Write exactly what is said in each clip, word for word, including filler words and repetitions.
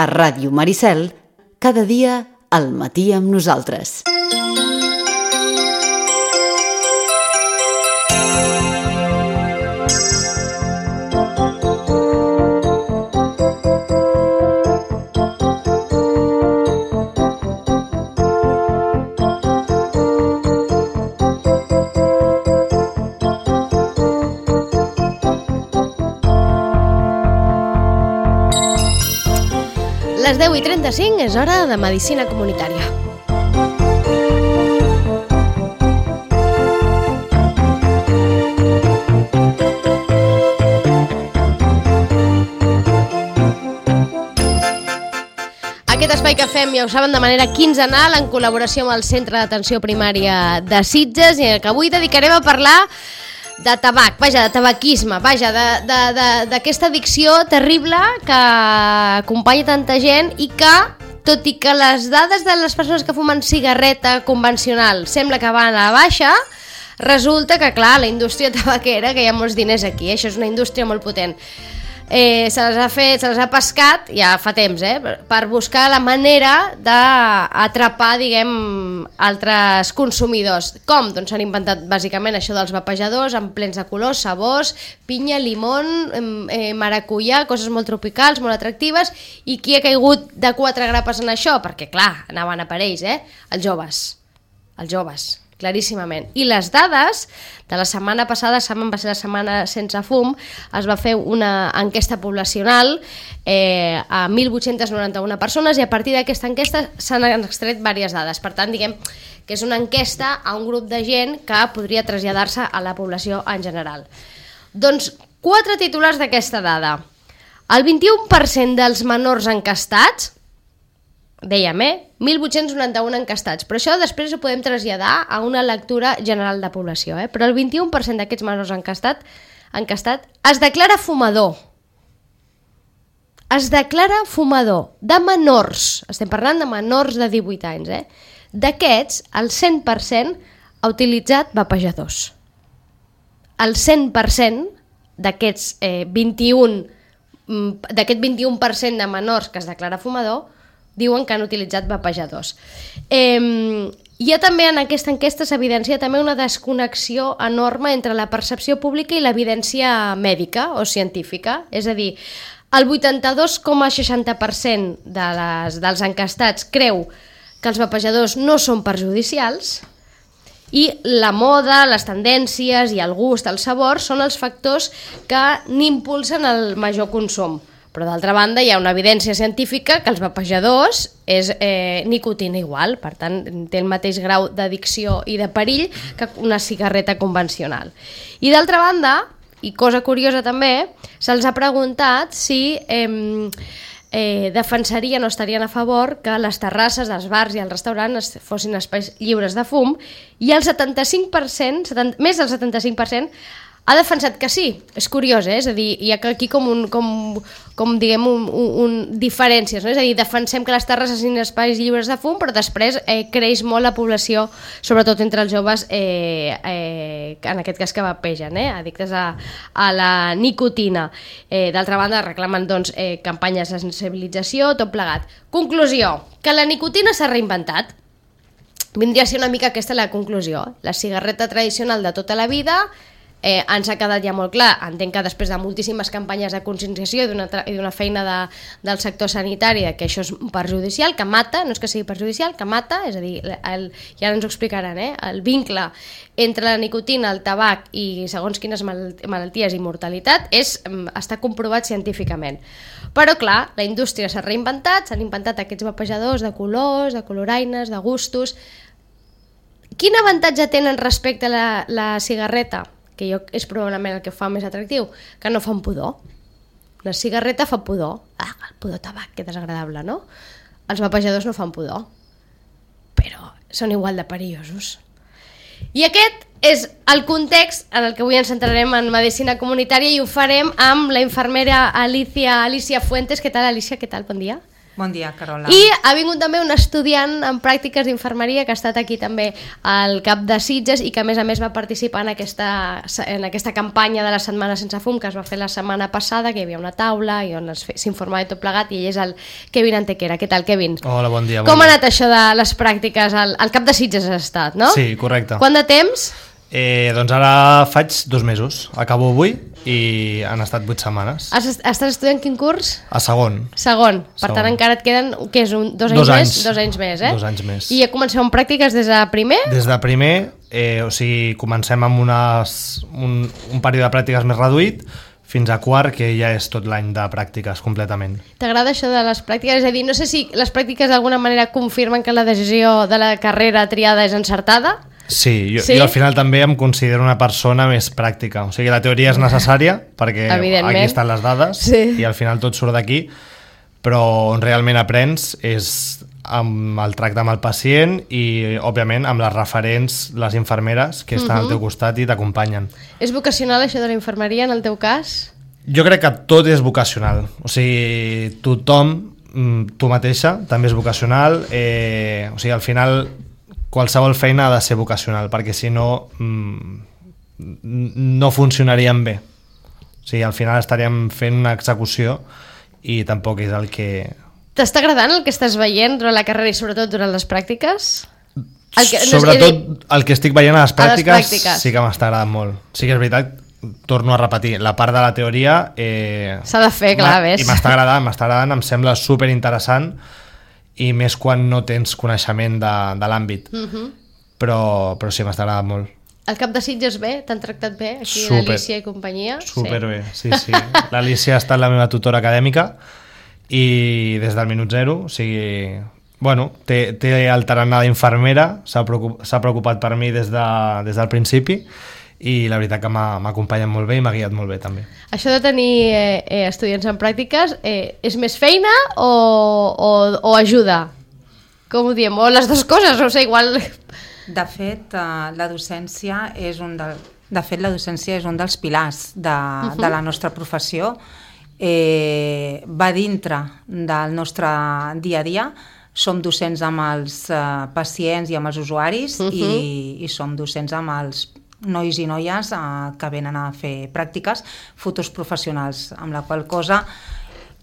A Ràdio Maricel, cada dia al matí amb nosaltres. Les deu i trenta-cinc és hora de Medicina Comunitària. Aquest espai que fem, ja ho saben, de manera quinzenal en col·laboració amb el Centre d'Atenció Primària de Sitges, i que avui dedicarem a parlar de tabac, vaja, de tabaquisme, vaja, d'aquesta addicció terrible que acompanya tanta gent i que, tot i que les dades de les persones que fumen cigarreta convencional sembla que van a la baixa, resulta que, clar, la indústria tabaquera, que hi ha molts diners aquí, eh? Això és una indústria molt potent, eh, se les ha fet, se les ha pescat ja fa temps, eh, per buscar la manera d'atrapar, diguem, altres consumidors. Com? Doncs s'han inventat bàsicament això dels vapejadors en plens de colors, sabors, pinya, limon, eh, maracuyà, coses molt tropicals, molt atractives, i qui ha caigut de quatre grapes en això? Perquè, clar, anaven a per ells, eh? Els joves, els joves, claríssimament. I les dades de la setmana passada, saben, va ser la setmana sense fum, es va fer una enquesta poblacional eh, a mil vuit-cents noranta-una persones, i a partir d'aquesta enquesta s'han extret diverses dades. Per tant, diguem que és una enquesta a un grup de gent que podria traslladar-se a la població en general. Doncs quatre titulars d'aquesta dada. El vint-i-u per cent dels menors encastats, dèiem, eh? mil vuit-cents noranta-un encastats, però això després ho podem traslladar a una lectura general de població, eh? Però el vint-i-u per cent d'aquests menors encastat, encastat es declara fumador. Es declara fumador de menors, estem parlant de menors de divuit anys, eh? D'aquests, el cent per cent ha utilitzat vapejadors. El cent per cent d'aquests eh, vint-i-u d'aquest vint-i-u per cent de menors que es declara fumador diuen que han utilitzat vapejadors. Eh, hi ha també en aquesta enquesta s'evidencia també una desconnexió enorme entre la percepció pública i l'evidència mèdica o científica, és a dir, el vuitanta-dos coma seixanta per cent de les, dels encastats creu que els vapejadors no són perjudicials, i la moda, les tendències i el gust, el sabor són els factors que n'impulsen el major consum. Però d'altra banda hi ha una evidència científica que els vapejadors és eh, nicotina igual, per tant té el mateix grau d'addicció i de perill que una cigarreta convencional. I d'altra banda, i cosa curiosa també, se'ls ha preguntat si eh, eh, defensarien o estarien a favor que les terrasses dels bars i els restaurants fossin espais lliures de fum, i el setanta-cinc per cent, setanta, més del setanta-cinc per cent, ha defensat que sí. És curiós, eh? És a dir, hi ha aquí com un, com, com diguem, un, un, un diferències, no? És a dir, defensem que les terrasses siguin espais lliures de fum, però després eh, creix molt la població, sobretot entre els joves, eh, eh, en aquest cas que vapegen, eh? Addictes a, a la nicotina. Eh, D'altra banda, reclamen doncs, eh, campanyes de sensibilització, tot plegat. Conclusió, que la nicotina s'ha reinventat. Vindria a ser una mica aquesta la conclusió. La cigarreta tradicional de tota la vida Eh, ens ha quedat ja molt clar. Entenc que després de moltíssimes campanyes de conscienciació i d'una feina de, del sector sanitari que això és perjudicial, que mata, no és que sigui perjudicial, que mata, és a dir, el, ja ens ho explicaran, eh? El vincle entre la nicotina, el tabac i segons quines malalties i mortalitat és, està comprovat científicament. Però clar, la indústria s'ha reinventat, s'han inventat aquests vapejadors de colors, de coloraines, de gustos. Quin avantatge tenen respecte a la, la cigarreta? Que jo, és probablement el que fa més atractiu, que no fan pudor. La cigarreta fa pudor. Ah, el pudor tabac, que desagradable, no? Els vapejadors no fan pudor, però són igual de perillosos. I aquest és el context en el que avui ens centrarem en medicina comunitària, i ho farem amb la infermera Alicia, Alicia Fuentes. Què tal, Alicia? Què tal? Bon dia. Bon dia, Carola. I ha vingut també un estudiant en pràctiques d'infermeria que ha estat aquí també al Cap de Sitges i que a més a més va participar en aquesta, en aquesta campanya de la Setmana Sense Fum que es va fer la setmana passada, que hi havia una taula i on s'informava de tot plegat, i ell és el Kevin Antequera. Què tal, Kevin? Hola, bon dia. Bon Com dia. ha anat això de les pràctiques? Al, al Cap de Sitges has estat, no? Sí, correcte. Quant de temps? Eh, doncs ara faig dos mesos. Acabo avui i han estat vuit setmanes. Has, estàs estudiant quin curs? A segon. Segon. Per Segon. tant, encara et queden, què és, un, dos, anys Dos anys. més? Dos anys més, eh? Dos anys més. I ja comenceu amb pràctiques des de primer? Des de primer, eh, o sigui, comencem amb unes, un, un període de pràctiques més reduït fins a quart, que ja és tot l'any de pràctiques completament. T'agrada això de les pràctiques? És a dir, no sé si les pràctiques d'alguna manera confirmen que la decisió de la carrera triada és encertada? Sí, jo, Sí? jo al final també em considero una persona més pràctica. O sigui, la teoria és necessària perquè Evidentment. aquí estan les dades Sí. i al final tot surt d'aquí, però on realment aprens és amb el tracte amb el pacient i, òbviament, amb les referents, les infermeres que estan uh -huh. al teu costat i t'acompanyen. És vocacional això de la infermeria en el teu cas? Jo crec que tot és vocacional. O sigui, tothom, mm, tu mateixa, també és vocacional. Eh, o sigui, al final, qualsevol feina ha de ser vocacional, perquè si no, mm, no funcionaríem bé. O sigui, al final estaríem fent una execució i tampoc és el que... T'està agradant el que estàs veient durant la carrera i sobretot durant les pràctiques? El que, no, Sobretot el que estic veient a les pràctiques, a les pràctiques. sí que m'està agradant molt. Sí que és veritat, torno a repetir, la part de la teoria... Eh, S'ha de fer, clar, ves. I m'està agradant, m'està agradant, em sembla superinteressant i més quan no tens coneixement de, de l'àmbit. Uh -huh. però, però sí, m'està agradant molt. El Cap de Sitges bé? T'han tractat bé? Aquí Super, l'Alícia i companyia? Superbé, sí, sí. L'Alícia ha estat la meva tutora acadèmica i des del minut zero, o sigui... Bueno, té, té el tarannà d'infermera, s'ha preocupat, s'ha preocupat per mi des, de, des del principi i la veritat que m'ha acompanyat molt bé i m'ha guiat molt bé també. Això de tenir eh, eh, estudiants en pràctiques eh, és més feina o, o, o ajuda? Com ho diem? O les dues coses, no sé, igual... De fet, eh, la docència és un del, de fet, la docència és un dels pilars de, uh-huh. de la nostra professió. Eh, va dintre del nostre dia a dia. Som docents amb els eh, pacients i amb els usuaris uh-huh. i, i som docents amb els nois i noies eh, que venen a fer pràctiques, futurs professionals, amb la qual cosa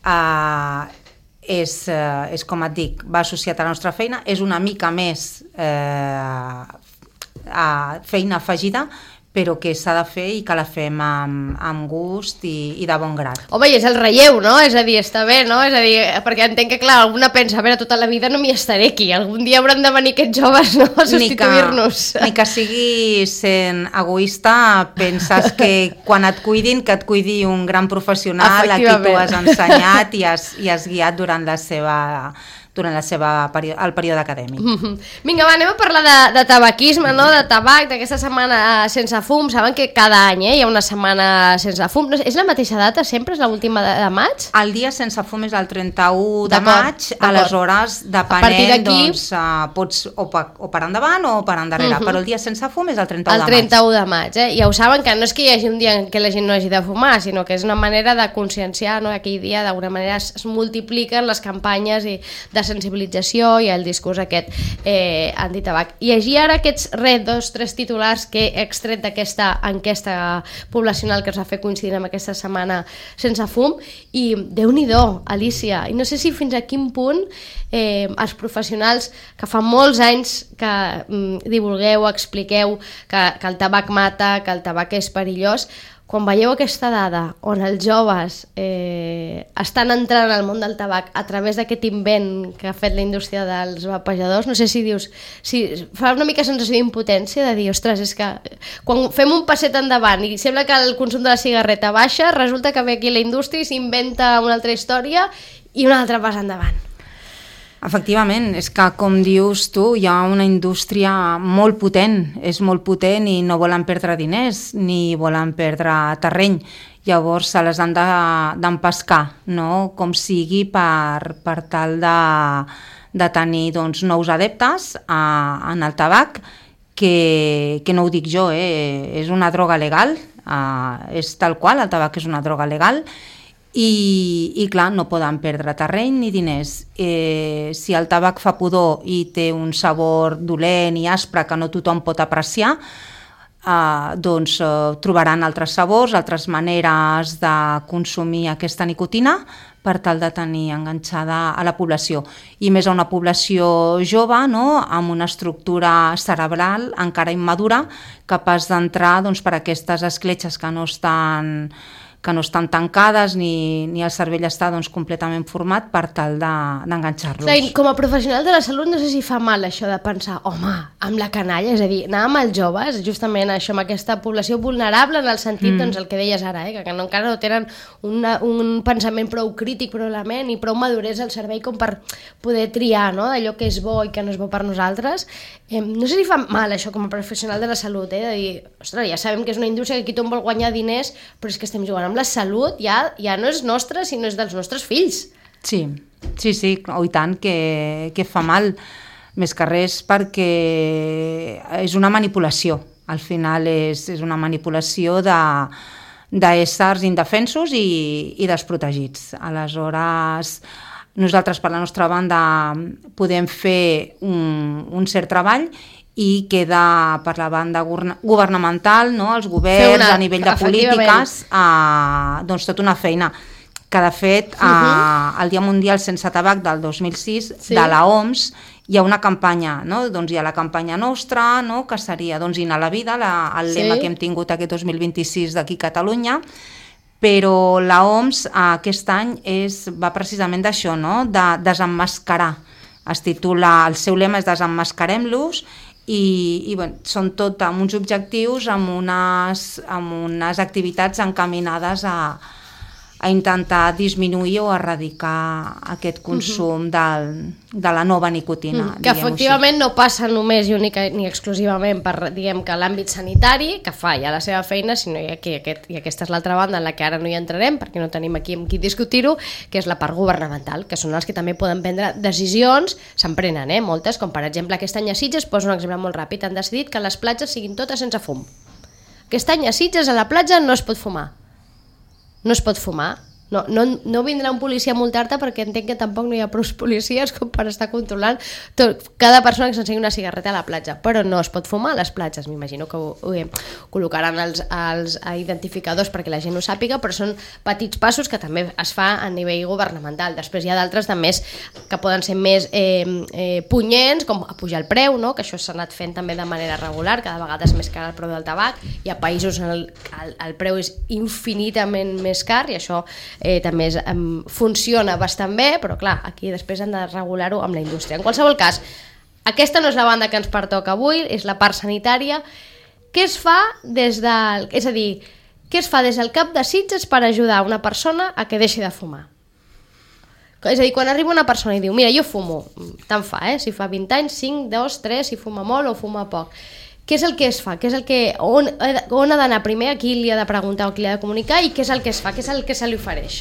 eh, és, eh, és com et dic, va associat a la nostra feina, és una mica més eh, a feina afegida, però que s'ha de fer i que la fem amb, amb gust i, i de bon grat. Home, i és el relleu, no? És a dir, està bé, no? És a dir, perquè entenc que, clar, alguna pensa, a veure, tota la vida no m'hi estaré aquí, algun dia hauran de venir aquests joves, no?, a substituir-nos. Ni que, ni que sigui sent egoista, penses que quan et cuidin, que et cuidi un gran professional a qui tu has ensenyat i has, i has guiat durant la seva... durant la seva període, el període acadèmic. Mm-hmm. Vinga, va, anem a parlar de, de tabaquisme, no? De tabac, d'aquesta setmana sense fum. Saben que cada any eh, hi ha una setmana sense fum. No, és la mateixa data sempre? És l'última de, de maig? El dia sense fum és el trenta-u de maig, aleshores, depenent, doncs, uh, pots o per, o per endavant o per endarrere, uh-huh. però el dia sense fum és el trenta-u de maig. El trenta-u de maig, eh? Ja ho saben, que no és que hi hagi un dia en què la gent no hagi de fumar, sinó que és una manera de conscienciar, no? Aquell dia, d'alguna manera, es, es multipliquen les campanyes i de sensibilització i el discurs aquest eh, antitabac. I així ara aquests res, dos, tres titulars que he extret d'aquesta enquesta poblacional que es va fer coincidint amb aquesta setmana sense fum, i Déu-n'hi-do, Alícia, i no sé si fins a quin punt eh, els professionals que fa molts anys que mm, divulgueu, expliqueu que, que el tabac mata, que el tabac és perillós, quan veieu aquesta dada on els joves eh, estan entrant al món del tabac a través d'aquest invent que ha fet la indústria dels vapejadors, no sé si dius, si fa una mica sensació d'impotència de dir, ostres, és que quan fem un passet endavant i sembla que el consum de la cigarreta baixa, resulta que ve aquí la indústria i s'inventa una altra història i un altre pas endavant. Efectivament, és que com dius tu, hi ha una indústria molt potent, és molt potent i no volen perdre diners ni volen perdre terreny, llavors se les han d'empescar, no? Com sigui per, per tal de, de tenir doncs, nous adeptes a, en el tabac, que, que no ho dic jo, eh? És una droga legal, eh, és tal qual, el tabac és una droga legal, i, i clar, no poden perdre terreny ni diners. Eh, si el tabac fa pudor i té un sabor dolent i aspre que no tothom pot apreciar, eh, doncs eh, trobaran altres sabors, altres maneres de consumir aquesta nicotina per tal de tenir enganxada a la població. I més a una població jove, no?, amb una estructura cerebral encara immadura, capaç d'entrar doncs, per aquestes escletxes que no estan que no estan tancades ni, ni el cervell està doncs, completament format per tal d'enganxar-los. De, com a professional de la salut no sé si fa mal això de pensar, home, amb la canalla, és a dir, anar amb els joves, justament això, amb aquesta població vulnerable en el sentit, mm. doncs el que deies ara, eh, que no, encara no tenen una, un pensament prou crític probablement i prou maduresa al cervell com per poder triar, no?, d'allò que és bo i que no és bo per nosaltres. Eh, no sé si fa mal això com a professional de la salut, eh, de dir, ostres, ja sabem que és una indústria que aquí tothom vol guanyar diners, però és que estem jugant amb la salut, ja, ja no és nostra, sinó és dels nostres fills. Sí, sí, sí, oh, i tant que, que fa mal, més que res perquè és una manipulació, al final és, és una manipulació de d'éssers indefensos i, i desprotegits. Aleshores, nosaltres per la nostra banda podem fer un, un cert treball i queda per la banda governamental, no?, els governs una, a nivell de polítiques, eh, doncs tota una feina que de fet eh, uh-huh. el Dia Mundial Sense Tabac del dos mil sis sí. de la O M S hi ha una campanya, no?, doncs hi ha la campanya nostra, no?, que seria doncs, Inhalar la vida, la, el lema sí. que hem tingut aquest dos mil vint-i-sis d'aquí a Catalunya, però la O M S eh, aquest any és, va precisament d'això, no?, de desemmascarar. Es titula, el seu lema és Desemmascarem-los, i, i bueno, són tot amb uns objectius, amb unes, amb unes activitats encaminades a, a intentar disminuir o erradicar aquest consum uh-huh. del, de la nova nicotina. Uh-huh. Que efectivament així. No passa només i única ni exclusivament per, diguem, que l'àmbit sanitari, que fa ja la seva feina, sinó i, aquí, aquest, i aquesta és l'altra banda en la que ara no hi entrarem, perquè no tenim aquí amb qui discutir-ho, que és la part governamental, que són els que també poden prendre decisions, se'n prenen, eh, moltes, com per exemple aquest any a Sitges, poso un exemple molt ràpid, han decidit que les platges siguin totes sense fum. Aquest any a Sitges a la platja no es pot fumar. No es pot fumar. No, no, no vindrà un policia a multar-te perquè entenc que tampoc no hi ha prou policies com per estar controlant tot, cada persona que s'ensegui una cigarreta a la platja, però no es pot fumar a les platges. M'imagino que ho, ho, ho col·locaran els, els identificadors perquè la gent ho sàpiga, però són petits passos que també es fa a nivell governamental. Després hi ha d'altres de més que poden ser més eh, eh, punyents, com pujar el preu, no? Que això s'ha anat fent també de manera regular, cada vegada és més car el preu del tabac, hi ha països on el, el, el preu és infinitament més car i això Eh, també és, um, funciona bastant bé, però clar, aquí després han de regular-ho amb la indústria. En qualsevol cas, aquesta no és la banda que ens pertoca avui, és la part sanitària. Què es fa des del... És a dir, què es fa des del cap de Sitges per ajudar una persona a que deixi de fumar? És a dir, quan arriba una persona i diu, mira, jo fumo, tant fa, eh? Si fa vint anys, cinc, dos, tres, si fuma molt o fuma poc. Què és el que es fa? Què és el que, on, on ha d'anar primer? A qui li ha de preguntar o qui li ha de comunicar? I què és el que es fa? Què és el que se li ofereix?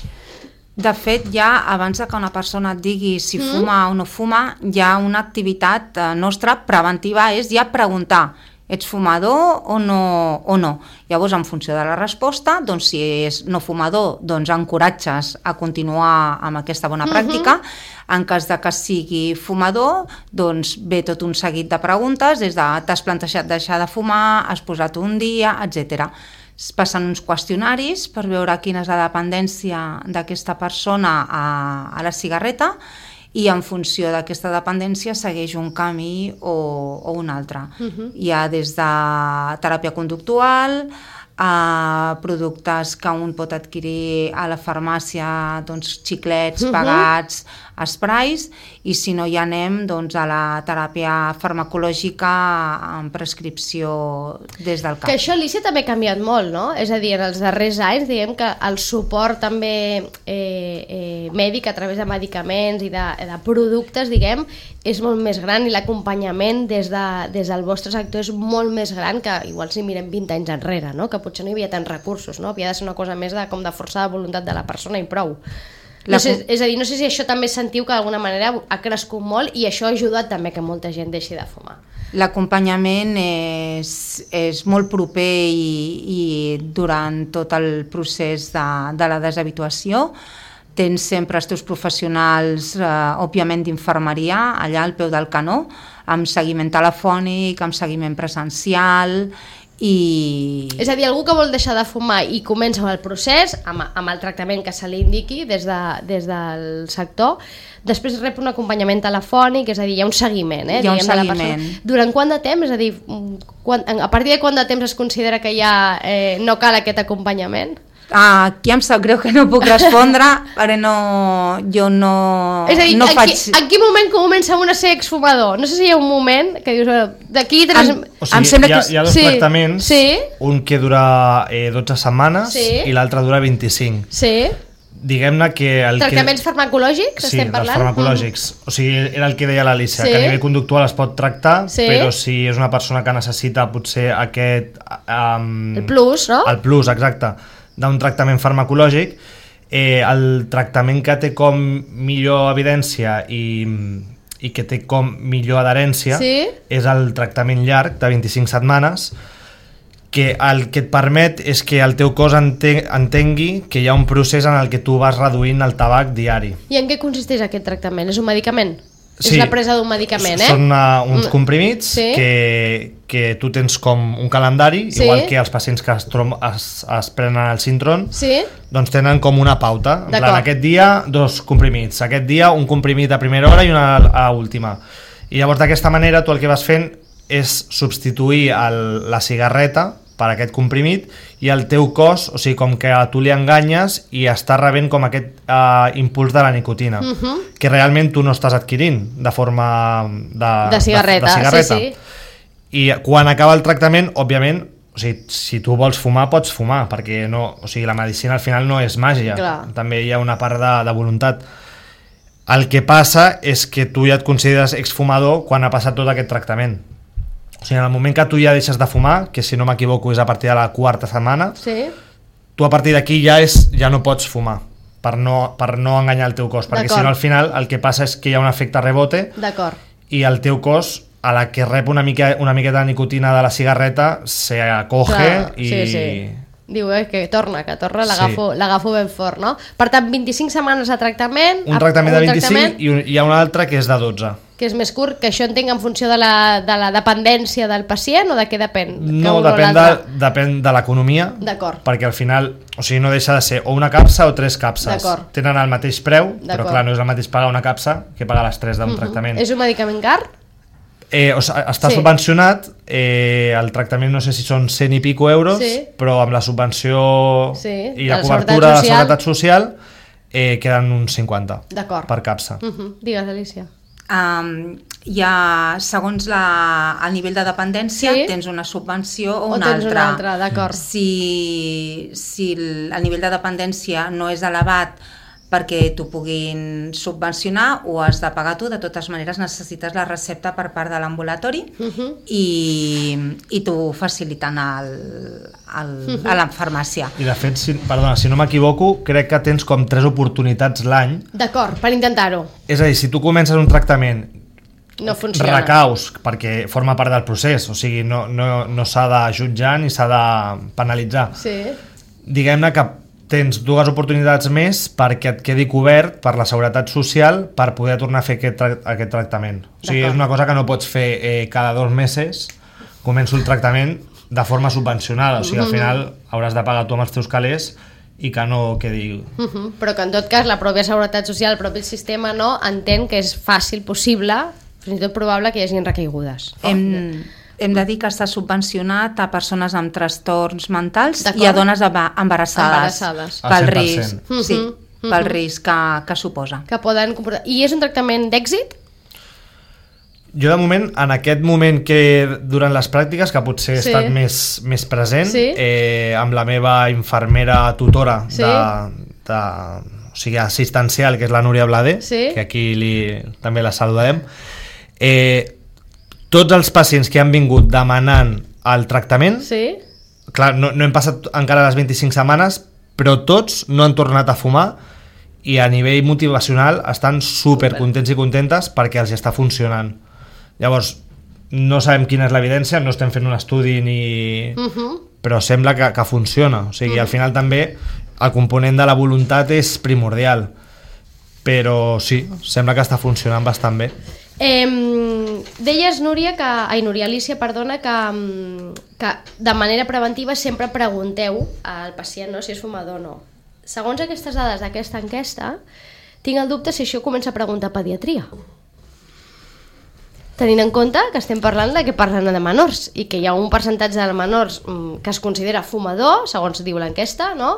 De fet, ja abans que una persona et digui si mm. fuma o no fuma, hi ha una activitat nostra preventiva, és ja preguntar ets fumador o no, o no. Llavors, en funció de la resposta, doncs, si és no fumador, doncs encoratges a continuar amb aquesta bona pràctica. Mm-hmm. En cas de que sigui fumador, doncs ve tot un seguit de preguntes, des de t'has plantejat deixar de fumar, has posat un dia, etcètera. Es passen uns qüestionaris per veure quina és la dependència d'aquesta persona a, a la cigarreta, i en funció d'aquesta dependència segueix un camí o, o un altre. Uh-huh. Hi ha des de teràpia conductual a productes que un pot adquirir a la farmàcia, doncs xiclets, uh-huh. pegats, esprais, i si no hi anem doncs, a la teràpia farmacològica en prescripció des del cap. Que això, Alicia, també ha canviat molt, no? És a dir, en els darrers anys, diguem que el suport també eh, eh, mèdic a través de medicaments i de, de productes, diguem, és molt més gran i l'acompanyament des, de, des del vostre sector és molt més gran que igual si mirem vint anys enrere, no? Que potser no hi havia tants recursos, no? Havia de ser una cosa més de, com de força de voluntat de la persona i prou. No sé, és a dir, no sé si això també sentiu que d'alguna manera ha crescut molt i això ha ajudat també que molta gent deixi de fumar. L'acompanyament és, és molt proper i, i durant tot el procés de, de la deshabituació. Tens sempre els teus professionals, eh, òbviament d'infermeria, allà al peu del canó, amb seguiment telefònic, amb seguiment presencial i... És a dir, algú que vol deixar de fumar i comença el procés amb, amb el tractament que se li indiqui des, de, des del sector, després rep un acompanyament telefònic, és a dir, hi ha un seguiment, eh, hi ha un diguem, de la seguiment. persona. Durant quant de temps? És a dir, quan, a partir de quant de temps es considera que ja eh, no cal aquest acompanyament? Ah, aquí em sap greu que no puc respondre, perquè no, jo no, és a dir, no en, faig... qui, en quin moment comença un a ser exfumador? No sé si hi ha un moment que dius, bueno, d'aquí tres... En, O sigui, em sembla hi ha, que... hi ha dos Sí, tractaments, sí. un que dura eh, dotze setmanes Sí. i l'altre dura vint-i-cinc. Sí. Diguem-ne que... El Tractaments que... farmacològics, Sí, estem dels parlant? farmacològics. Mm. O sigui, era el que deia l'Alícia, Sí. que a nivell conductual es pot tractar, Sí. però si és una persona que necessita potser aquest... Um, El plus, no? El plus, exacte, d'un tractament farmacològic, eh, el tractament que té com millor evidència i, i que té com millor adherència Sí. és el tractament llarg de vint-i-cinc setmanes, que el que et permet és que el teu cos ente entengui que hi ha un procés en el que tu vas reduint el tabac diari. I en què consisteix aquest tractament? És un medicament? Sí. És la presa d'un medicament, eh? Són uh, uns Mm. comprimits Sí. que, que tu tens com un calendari, Sí. igual que els pacients que es, es, es prenen el Sintron, Sí? doncs tenen com una pauta. En plan, D'acord. aquest dia dos comprimits, aquest dia un comprimit a primera hora i una a última. I llavors d'aquesta manera tu el que vas fent és substituir el, la cigarreta per aquest comprimit i el teu cos, o sigui, com que a tu li enganyes i està rebent com aquest uh, impuls de la nicotina, uh -huh. que realment tu no estàs adquirint de forma de, De cigarreta, de, de cigarreta. sí, sí. I quan acaba el tractament, òbviament, o sigui, si tu vols fumar, pots fumar, perquè no, o sigui, la medicina al final no és màgia, Clar. també hi ha una part de, de voluntat. El que passa és que tu ja et consideres exfumador quan ha passat tot aquest tractament. O sigui, en el moment que tu ja deixes de fumar, que si no m'equivoco és a partir de la quarta setmana, Sí? tu a partir d'aquí ja, és, ja no pots fumar, per no, per no enganyar el teu cos, perquè si D'acord. no al final el que passa és que hi ha un efecte rebote D'acord. i el teu cos, a la que rep una, mica, una miqueta de nicotina de la cigarreta, se acoge Clar, i... sí, sí. Diu eh, que torna, que torna, Sí. l'agafo l'agafo ben fort, no? Per tant, vint-i-cinc setmanes de tractament... Un tractament de vint-i-cinc tractament i un, hi ha un altre que és de dotze. que és més curt, que això entenc en funció de la, de la dependència del pacient o de què depèn? Que No, un o depèn de, l'altre? depèn de l'economia, D'acord. perquè al final, o sigui, no deixa de ser o una capsa o tres capses. D'acord. Tenen el mateix preu, però D'acord. clar, no és el mateix pagar una capsa que pagar les tres d'un tractament. És un medicament car? Eh, o sigui, està Sí. subvencionat, eh, el tractament no sé si són cent i pico euros, Sí. però amb la subvenció Sí, i la de la cobertura de la Seguretat Seguretat Social eh, queden uns cinquanta D'acord. per capsa. Uh -huh. Digues, Alicia. Um, hi ha, segons la, el nivell de dependència, Sí. tens una subvenció o, O una tens altra. una altra, d'acord. Si, si el, el nivell de dependència no és elevat perquè t'ho puguin subvencionar, ho has de pagar tu. De totes maneres necessites la recepta per part de l'ambulatori Uh -huh. i, i t'ho faciliten al, al, a la farmàcia. I de fet, si, perdona, si no m'equivoco, crec que tens com tres oportunitats l'any. D'acord, per intentar-ho. És a dir, si tu comences un tractament, No funciona. recaus, perquè forma part del procés, o sigui, no, no, no s'ha de jutjar ni s'ha de penalitzar. Sí. Diguem-ne que tens dues oportunitats més perquè et quedi cobert per la Seguretat Social per poder tornar a fer aquest, tra aquest tractament. O sigui, D'acord. és una cosa que no pots fer eh, cada dos mesos, començo el tractament de forma subvencionada, o sigui, al final hauràs de pagar tu amb els teus calés i que no quedi... Uh -huh. Però que en tot cas la pròpia Seguretat Social, el propi sistema, no entén que és fàcil, possible, fins i tot probable que hi hagin recaigudes. Hem, hem de dir que està subvencionat a persones amb trastorns mentals D'acord. i a dones embarassades, Embarassades. Al pel cent per risc, cent. sí, Mhm, pel mhm. risc que, que suposa. Que poden comportar... I és un tractament d'èxit? Jo, de moment, en aquest moment que durant les pràctiques, que potser he Sí. estat més, més present, Sí. eh, amb la meva infermera tutora Sí. de, de, o sigui, assistencial, que és la Núria Blader, Sí. que aquí li, també la saludem, eh, tots els pacients que han vingut demanant el tractament, Sí. clar, no, no hem passat encara les vint-i-cinc setmanes, però tots no han tornat a fumar i a nivell motivacional estan super contents i contentes perquè els està funcionant. Llavors, no sabem quina és l'evidència, no estem fent un estudi ni... Uh-huh. Però sembla que, que funciona. O sigui, uh-huh. al final també el component de la voluntat és primordial. Però sí, sembla que està funcionant bastant bé. Eh, deies, Núria, que, ai, Núria Alicia, perdona, que, que de manera preventiva sempre pregunteu al pacient, no, si és fumador o no. Segons aquestes dades d'aquesta enquesta, tinc el dubte si això comença a preguntar a pediatria. Tenint en compte que estem parlant de que parlen de menors i que hi ha un percentatge de menors que es considera fumador, segons diu l'enquesta, no?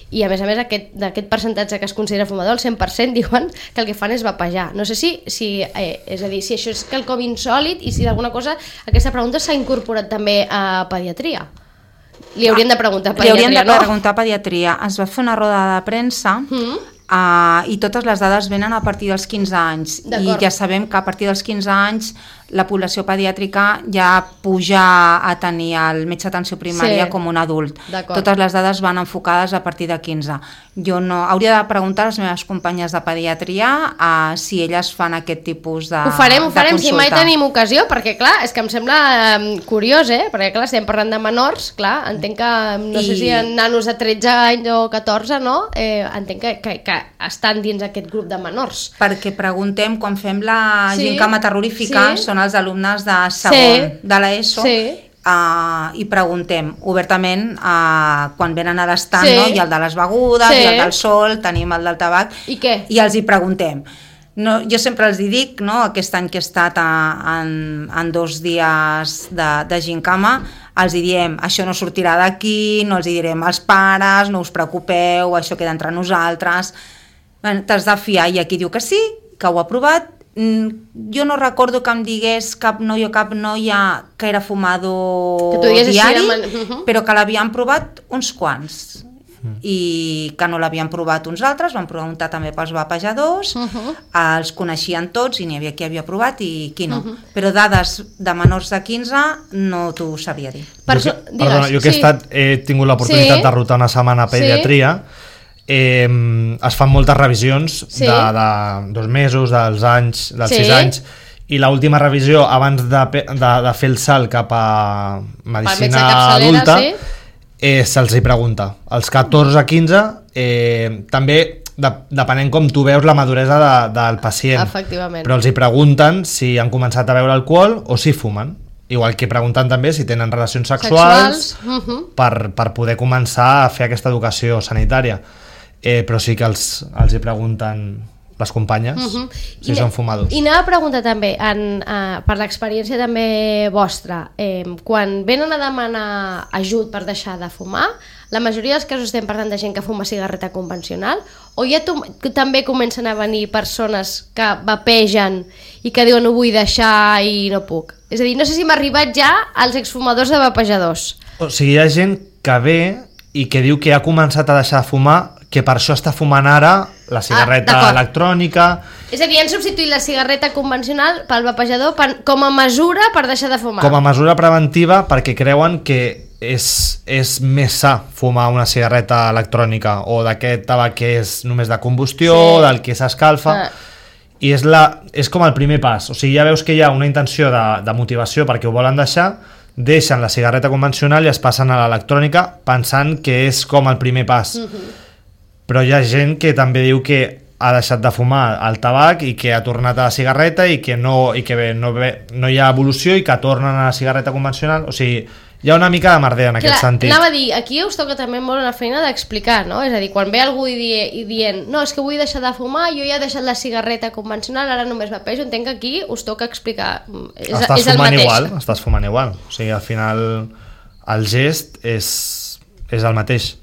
I a més a més d'aquest percentatge que es considera fumador, el cent per cent diuen que el que fan és vapejar. No sé si, si eh, és a dir, si això és quelcom insòlid i si d'alguna cosa aquesta pregunta s'ha incorporat també a pediatria. Li hauríem de preguntar a pediatria, no? Li hauríem de preguntar a pediatria. Es va fer una roda de premsa mm. Uh, i totes les dades venen a partir dels quinze anys i ja sabem que a partir dels quinze anys la població pediàtrica ja puja a tenir el metge d'atenció primària sí. com un adult. Totes les dades van enfocades a partir de quinze. Jo no, hauria de preguntar a les meves companyes de pediatria uh, si elles fan aquest tipus de Ho farem, ho farem, si mai tenim ocasió, perquè clar, és que em sembla um, curiós, eh? Perquè clar, estem parlant de menors, clar, entenc que, no I... sé si en nanos de tretze anys o catorze, no? Eh, entenc que, que, que estan dins aquest grup de menors. Perquè preguntem, quan fem la sí, gincama terrorífica, sí. són els alumnes de segon sí. de l'ESO, sí. uh, i preguntem obertament uh, quan venen a l'estant, sí. no? Hi ha el de les begudes, sí. hi ha el del sol, tenim el del tabac, i què? I els hi preguntem. No, jo sempre els hi dic, no? Aquest any que he estat a, en, en dos dies de, de gincama, els hi diem, això no sortirà d'aquí, no els hi direm als pares, no us preocupeu, això queda entre nosaltres. Bueno, t'has de fiar, i aquí diu que sí, que ho ha provat. Jo no recordo que em digués cap noi o cap noia que era fumador diari, man... uh-huh. però que l'havien provat uns quants uh-huh. i que no l'havien provat uns altres, van preguntar també pels vapejadors, uh-huh. els coneixien tots i n'hi havia qui havia provat i qui no, uh-huh. però dades de menors de quinze no t'ho sabria dir. Per jo, so... que, perdona, jo que he, estat, he tingut l'oportunitat sí. de rotar una setmana a pediatria, sí. Eh, es fan moltes revisions sí. de, de dos mesos, dels anys, dels sí. sis anys, i l'última revisió abans de, de, de fer el salt cap a medicina adulta sí. eh, se'ls hi pregunta. Els catorze a quinze eh, també de, depenent com tu veus la maduresa de, del pacient, però els hi pregunten si han començat a beure alcohol o si fumen. Igual que preguntant també si tenen relacions sexuals, sexuals. Uh-huh. per, per poder començar a fer aquesta educació sanitària. Eh, però sí que els, els hi pregunten les companyes uh-huh. si I són fumadors. I anava a preguntar també, en, uh, per l'experiència també vostra, eh, quan venen a demanar ajut per deixar de fumar, la majoria dels casos estem parlant de gent que fuma cigarreta convencional, o ja tu, també comencen a venir persones que vapegen i que diuen ho vull deixar i no puc? És a dir, no sé si m'ha arribat ja als exfumadors de vapejadors. O sigui, hi ha gent que ve i que diu que ha començat a deixar de fumar, que per això està fumant ara la cigarreta ah, electrònica. És a dir, han substituït la cigarreta convencional pel vapejador per, com a mesura per deixar de fumar. Com a mesura preventiva, perquè creuen que és, és més sa fumar una cigarreta electrònica o d'aquest tabac que és només de combustió, sí. del que s'escalfa. Ah. I és, la, és com el primer pas. O sigui, ja veus que hi ha una intenció de, de motivació perquè ho volen deixar, deixen la cigarreta convencional i es passen a l'electrònica pensant que és com el primer pas. Uh-huh. Però hi ha gent que també diu que ha deixat de fumar el tabac i que ha tornat a la cigarreta i que no, i que bé, no, bé, no hi ha evolució i que tornen a la cigarreta convencional. O sigui, hi ha una mica de merder en aquest Clar, sentit. Anava a dir, aquí us toca també molt una feina d'explicar, no? És a dir, quan ve algú i, die, i dient no, és que vull deixar de fumar, jo ja he deixat la cigarreta convencional, ara només vapejo, entenc que aquí us toca explicar. És, estàs és el fumant mateix. igual, estàs fumant igual. O sigui, al final el gest és, és el mateix.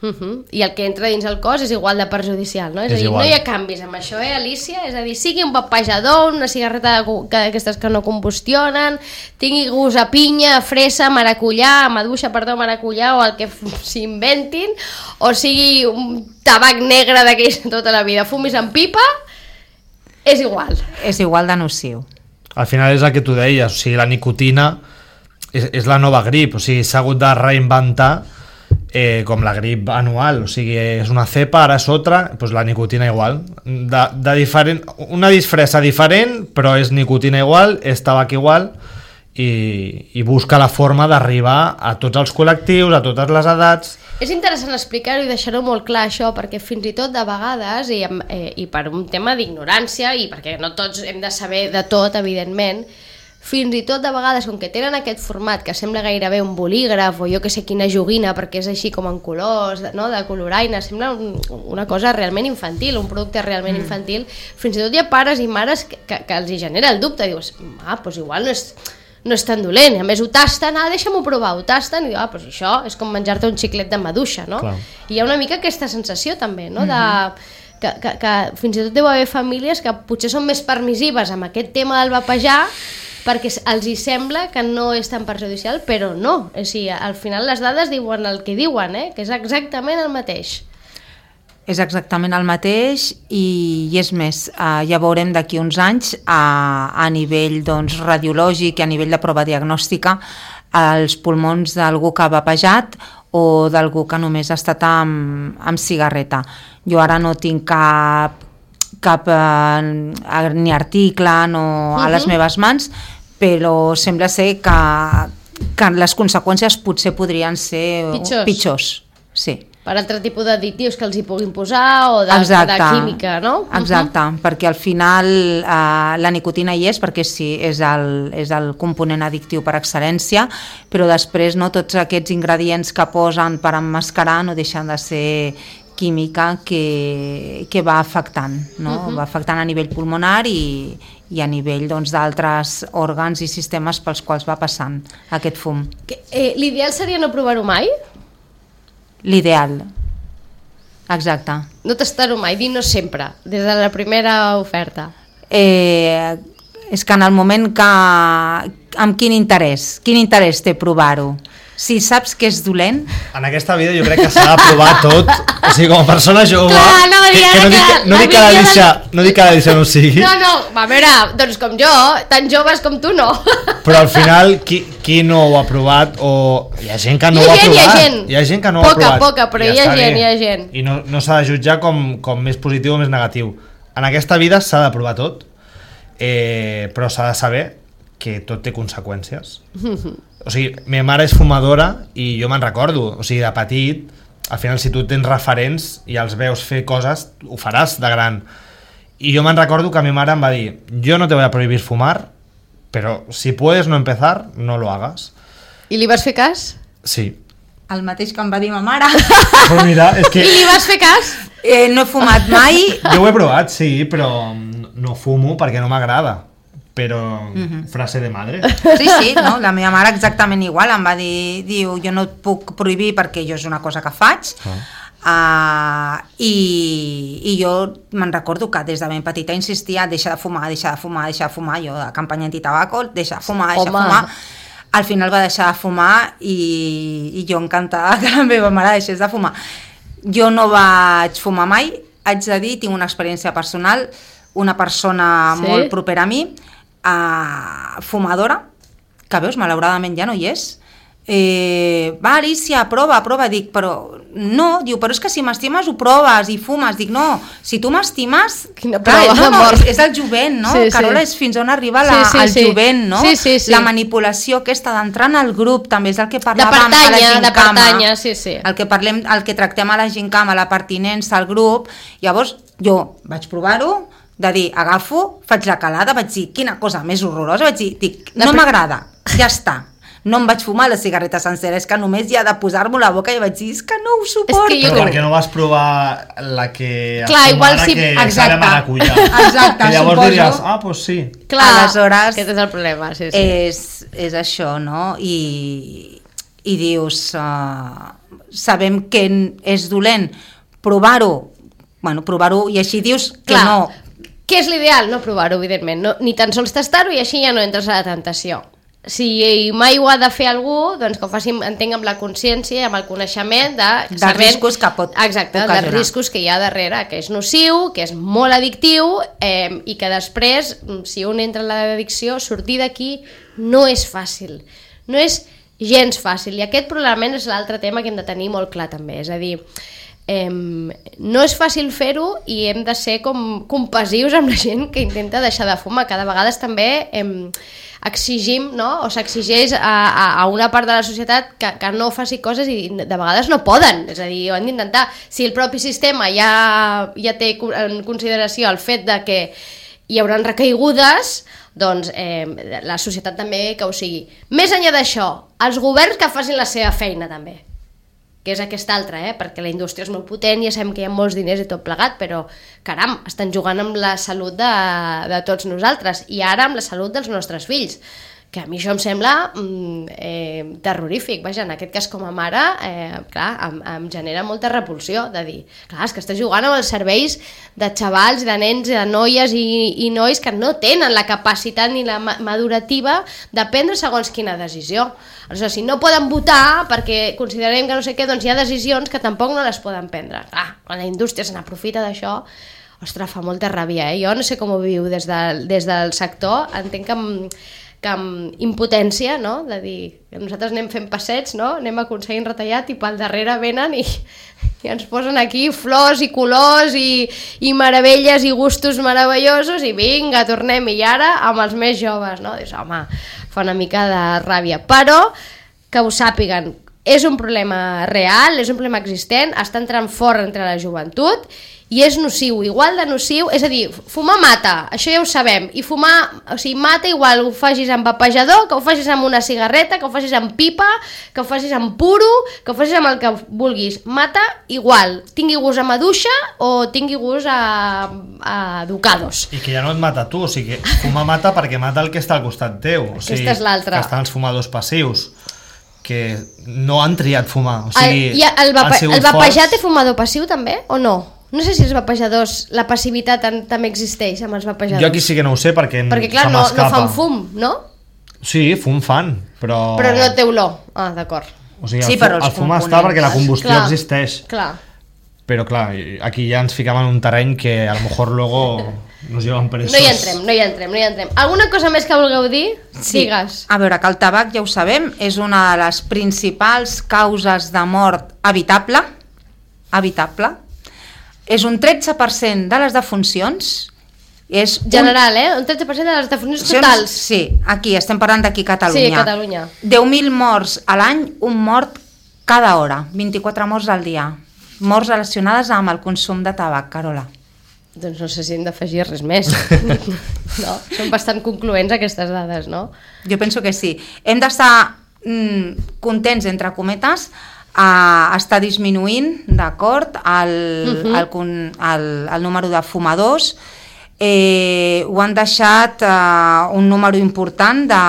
Uh-huh. I el que entra dins el cos és igual de perjudicial, no? És, és a dir, igual. No hi ha canvis amb això, eh, Alicia? És a dir, sigui un vapejador, una cigarreta d'aquestes que no combustionen, tingui gust a pinya, a fresa, a maracuyà, a maduixa, perdó, a maracuyà, o el que s'inventin, o sigui un tabac negre d'aquells tota la vida, fumis amb pipa, és igual. És igual de nociu. Al final és el que tu deies, o sigui, la nicotina és, és la nova grip, o sigui, s'ha hagut de reinventar Eh, com la grip anual, o sigui, és una cepa, ara és altra, doncs la nicotina igual, de, de diferent, una disfressa diferent, però és nicotina igual, és tabac igual, i, i busca la forma d'arribar a tots els col·lectius, a totes les edats. És interessant explicar-ho i deixar-ho molt clar això, perquè fins i tot de vegades, i, eh, i per un tema d'ignorància, i perquè no tots hem de saber de tot, evidentment, fins i tot de vegades, com que tenen aquest format que sembla gairebé un bolígraf o jo que sé quina joguina, perquè és així com en colors, no? De coloraina, sembla un, una cosa realment infantil, un producte realment mm. infantil. Fins i tot hi ha pares i mares que, que, que els hi genera el dubte, dius, ah, doncs igual no és, no és tan dolent, a més ho tasten, ah, deixa'm-ho provar, ho tasten, i diu, ah, doncs això és com menjar-te un xiclet de maduixa, no? Clar. I hi ha una mica aquesta sensació també, no? De... Mm-hmm. Que, que, que fins i tot deu haver famílies que potser són més permissives amb aquest tema del vapejar, perquè els hi sembla que no és tan perjudicial, però no. O sigui, al final les dades diuen el que diuen, eh? Que és exactament el mateix. És exactament el mateix i, i és més, eh, ja veurem d'aquí uns anys a, a nivell doncs, radiològic i a nivell de prova diagnòstica els pulmons d'algú que ha vapejat o d'algú que només ha estat amb, amb cigarreta. Jo ara no tinc cap cap eh, ni article no, a les meves mans, però sembla ser que, que les conseqüències potser podrien ser pitjors, pitjors sí. Per altre tipus d'additius que els hi puguin posar o de, de química, no? Exacte, uh-huh. Perquè al final eh, la nicotina hi és perquè sí, és el, és el component addictiu per excel·lència, però després no, tots aquests ingredients que posen per emmascarar no deixen de ser química que, que va afectant, no? Uh-huh. Va afectant a nivell pulmonar i, i a nivell doncs, d'altres òrgans i sistemes pels quals va passant aquest fum. Que, eh, l'ideal seria no provar-ho mai? L'ideal, exacte. No tastar-ho mai, dir no sempre, des de la primera oferta. Eh, és que en el moment que... Amb quin interès? Quin interès té provar-ho? Si saps que és dolent... En aquesta vida jo crec que s'ha de provar tot, o sigui, com a persona jove... Clar, no, que, que no, dic, que, no, dic que la Lícia, no dic que la Lícia no ho sigui... No, no, a veure, doncs com jo, tan joves com tu no. Però al final, qui, qui no ho ha provat, o hi ha gent que no ho ha provat... Hi ha gent, hi ha gent que no poca, ho ha provat. Poca, però hi ha gent, hi ha gent. I no, no s'ha de jutjar com, com més positiu o més negatiu. En aquesta vida s'ha de provar tot, eh, però s'ha de saber que tot té conseqüències. O sigui, meva mare és fumadora i jo me'n recordo, o sigui, de petit, al final si tu tens referents i els veus fer coses, ho faràs de gran. I jo me'n recordo que meva mare em va dir, yo no te voy a prohibir fumar, pero si puedes no empezar, no lo hagas. I li vas fer cas? Sí. El mateix que em va dir ma mare. Però mira, és que... I li vas fer cas? Eh, no he fumat mai. Jo ho he provat, sí, però no fumo perquè no m'agrada. Però uh-huh. frase de madre. Sí, sí, no? La meva mare exactament igual, em va dir, diu, jo no et puc prohibir perquè jo és una cosa que faig, uh. Uh, i, i jo me'n recordo que des de ben petita insistia, deixa de fumar, deixa de fumar, deixa de fumar, jo de campanya antitabaco, deixa de fumar, deixa de fumar. Al final va deixar de fumar i, i jo encantada que la meva mare deixés de fumar. Jo no vaig fumar mai, haig de dir, tinc una experiència personal, una persona sí? molt propera a mi, Uh, fumadora, que veus, malauradament ja no hi és, eh, va Alicia, prova, prova, dic, però no, diu, però és que si m'estimes ho proves i fumes, dic, no, si tu m'estimes, quina prova, no, no, és, és el jovent, no? Sí, Carola, sí. És fins on arriba la, sí, sí, el sí. jovent, no? Sí, sí, sí. La manipulació aquesta d'entrar en el grup, també és el que parlàvem de pertanya, a la gincama, de pertanya, sí, sí. El que parlem, el que tractem a la gincama, la pertinença al grup, llavors jo vaig provar-ho, de dir, agafo, faig la calada, vaig dir, quina cosa més horrorosa, vaig dir, dic, no m'agrada, ja està. No em vaig fumar la cigarreta sencera, és que només hi ha de posar-m'ho a la boca i vaig dir, és que no ho suporto. És que Però per què no vas provar la que Clar, igual si... que Exacte. de maracuja? Exacte, que llavors suposo. diries, ah, doncs sí. Clar, aleshores, aquest és el problema, sí, sí. És, és això, no? I, i dius, uh, sabem que és dolent, provar-ho, bueno, provar-ho i així dius que Clar. no... Què és l'ideal? No provar-ho, evidentment. No, ni tan sols tastar-ho i així ja no entres a la tentació. Si mai ho ha de fer algú, doncs que ho faci, entenc, amb la consciència i amb el coneixement de... Dels sabent, riscos que pot exacte, ocasionar. dels riscos que hi ha darrere, que és nociu, que és molt addictiu eh, i que després, si un entra en l'addicció, sortir d'aquí no és fàcil. No és gens fàcil. I aquest probablement és l'altre tema que hem de tenir molt clar també. És a dir, Eh, no és fàcil fer-ho i hem de ser com compassius amb la gent que intenta deixar de fumar. Cada vegada també eh, exigim, no? O s'exigeix a, a, a una part de la societat que, que no faci coses i de vegades no poden, és a dir, ho han d'intentar. Si el propi sistema ja, ja té en consideració el fet de que hi haurà recaigudes, doncs eh, la societat també que ho sigui. Més enllà d'això, els governs que facin la seva feina també, que és aquesta altra, eh? Perquè la indústria és molt potent, ja sabem que hi ha molts diners i tot plegat, però, caram, estan jugant amb la salut de, de tots nosaltres, i ara amb la salut dels nostres fills, que a mi això em sembla mm, eh, terrorífic. Vaja, en aquest cas com a mare, eh, clar, em, em genera molta repulsió de dir, clar, és que estàs jugant amb els serveis de xavals, de nens, de noies i, i nois que no tenen la capacitat ni la madurativa de prendre segons quina decisió. Aleshores, si no poden votar perquè considerem que no sé què, doncs hi ha decisions que tampoc no les poden prendre. Clar, quan la indústria se n'aprofita d'això, ostres, fa molta ràbia, eh? Jo no sé com ho viu des, de, des del sector, entenc que... Amb, que amb impotència, no? De dir que nosaltres anem fent passets, no? Anem aconseguint retallat i pel darrere venen i, i ens posen aquí flors i colors i, i meravelles i gustos meravellosos i vinga, tornem, i ara amb els més joves, no? Dius, home, fa una mica de ràbia, però que ho sàpiguen, és un problema real, és un problema existent, està entrant fort entre la joventut i és nociu, igual de nociu, és a dir, fumar mata, això ja ho sabem, i fumar, o sigui, mata igual ho facis amb vapejador, que ho facis amb una cigarreta, que ho facis amb pipa, que ho facis amb puro, que ho facis amb el que vulguis, mata igual, tingui gust a maduixa o tingui gust a, a ducados. I que ja no et mata tu, o sigui, fumar mata perquè mata el que està al costat teu, o sigui, aquesta és l'altra. Que estan els fumadors passius, que no han triat fumar, o sigui, el, i el, vape, el vapejat forts... és fumador passiu també, o no? No sé si els vapejadors, la passivitat en, també existeix amb els vapejadors. Jo aquí sí que no ho sé perquè, perquè clar, se no, m'escapa. no fan fum, no? Sí, fum fan, però... Però no té olor. Ah, d'acord. O sigui, sí, el, fu el fum està perquè la combustió clar, existeix. Clar. Però clar, aquí ja ens ficam en un terreny que a lo mejor luego nos llevan presos. No hi entrem, no hi entrem, no hi entrem. Alguna cosa més que vulgueu dir? Sí. Digues. A veure, que el tabac, ja ho sabem, és una de les principals causes de mort evitable, evitable. És un tretze per cent de les defuncions. És general, un... eh? Un tretze per cent de les defuncions totals. Sí, aquí, estem parlant d'aquí a Catalunya. Sí, Catalunya. deu mil morts a l'any, un mort cada hora, vint-i-quatre morts al dia. Morts relacionades amb el consum de tabac, Carola. Doncs no sé si hem d'afegir res més. No? Són bastant concloents aquestes dades, no? Jo penso que sí. Hem d'estar mm, contents, entre cometes, a estar disminuint, d'acord, el, uh-huh. el, el, el número de fumadors. Eh, ho han deixat eh, un número important de,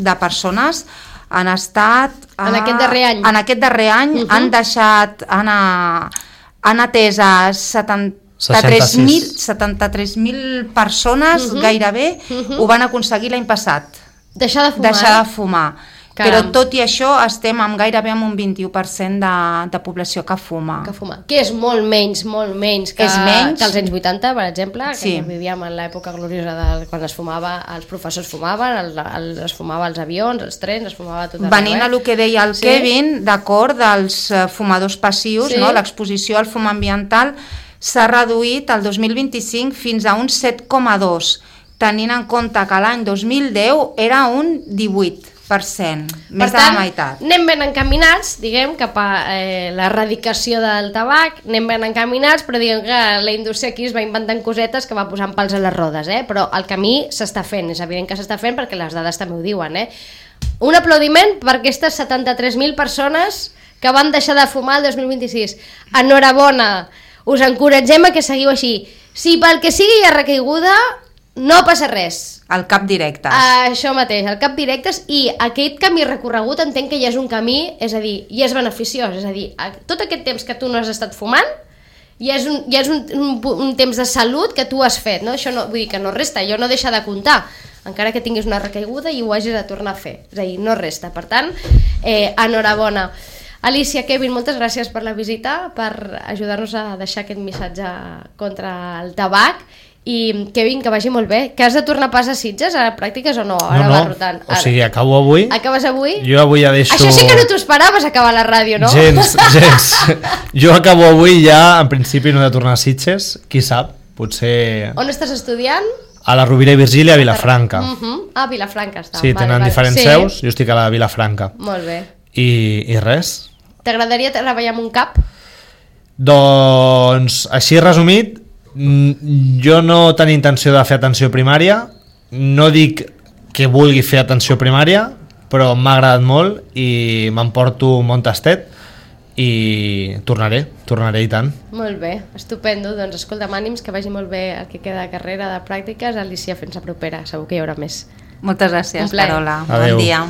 de persones han estat... Eh, en aquest darrer any. En aquest darrer any uh-huh. han deixat, han, han atès a setanta-tres mil persones, uh-huh. gairebé, uh-huh. ho van aconseguir l'any passat. Deixar de fumar. Deixar de fumar. Caram. Però tot i això estem amb gairebé amb un vint-i-u per cent de, de població que fuma. Que fuma. Que és molt menys, molt menys que, menys. que els anys vuitanta, per exemple, que sí. vivíem en l'època gloriosa de quan es fumava, els professors fumaven, el, el, es fumava als avions, als trens, es fumava tot arreu. Venint a el que deia el sí. Kevin, d'acord, dels fumadors passius, sí. no? L'exposició al fum ambiental s'ha reduït el dos mil vint-i-cinc fins a un set coma dos, tenint en compte que l'any dos mil deu era un divuit per cent, més per tant, de la meitat. Anem ben encaminats, diguem, cap a eh, l'erradicació del tabac, anem ben encaminats, però diguem que la indústria aquí es va inventant cosetes que va posant pals a les rodes, eh? Però el camí s'està fent, és evident que s'està fent perquè les dades també ho diuen, eh? Un aplaudiment per aquestes setanta-tres mil persones que van deixar de fumar el dos mil vint-i-sis. Enhorabona, us encoratgem a que seguiu així. Si pel que sigui hi ha recaiguda, no passa res. El cap directes. Uh, això mateix, el cap directes, i aquest camí recorregut entenc que ja és un camí, és a dir, ja és beneficiós, és a dir, tot aquest temps que tu no has estat fumant, ja és un, ja és un, un, un temps de salut que tu has fet, no? Això no, vull dir que no resta, allò no deixa de comptar, encara que tinguis una recaiguda i ho hagis de tornar a fer, és a dir, no resta, per tant, eh, enhorabona. Alicia, Kevin, moltes gràcies per la visita, per ajudar-nos a deixar aquest missatge contra el tabac, I Kevin, que vagi molt bé. Que has de tornar pas a Sitges a pràctiques o no? No, Ara no, va rotant. o sigui, acabo avui. Acabes avui? Jo avui ja deixo... Això sí que no t'ho esperaves, acabar la ràdio, no? Gens, gens. Jo acabo avui ja, en principi no he de tornar a Sitges, qui sap, potser... On estàs estudiant? A la Rovira i Virgília, a Vilafranca. Uh -huh. Ah, Vilafranca està. Sí, tenen diferents sí. seus, jo estic a la Vilafranca. Molt bé. I, i res. T'agradaria treballar en un cap? Doncs, així resumit, mm, jo no tenia intenció de fer atenció primària, no dic que vulgui fer atenció primària, però m'ha agradat molt i m'emporto un bon tastet i tornaré, tornaré i tant. Molt bé, estupendo. Doncs escolta'm, ànims, que vagi molt bé el que queda de carrera de pràctiques. Alicia, fins la propera, segur que hi haurà més. Moltes gràcies, Un plaer. Carola. Adeu. Bon dia.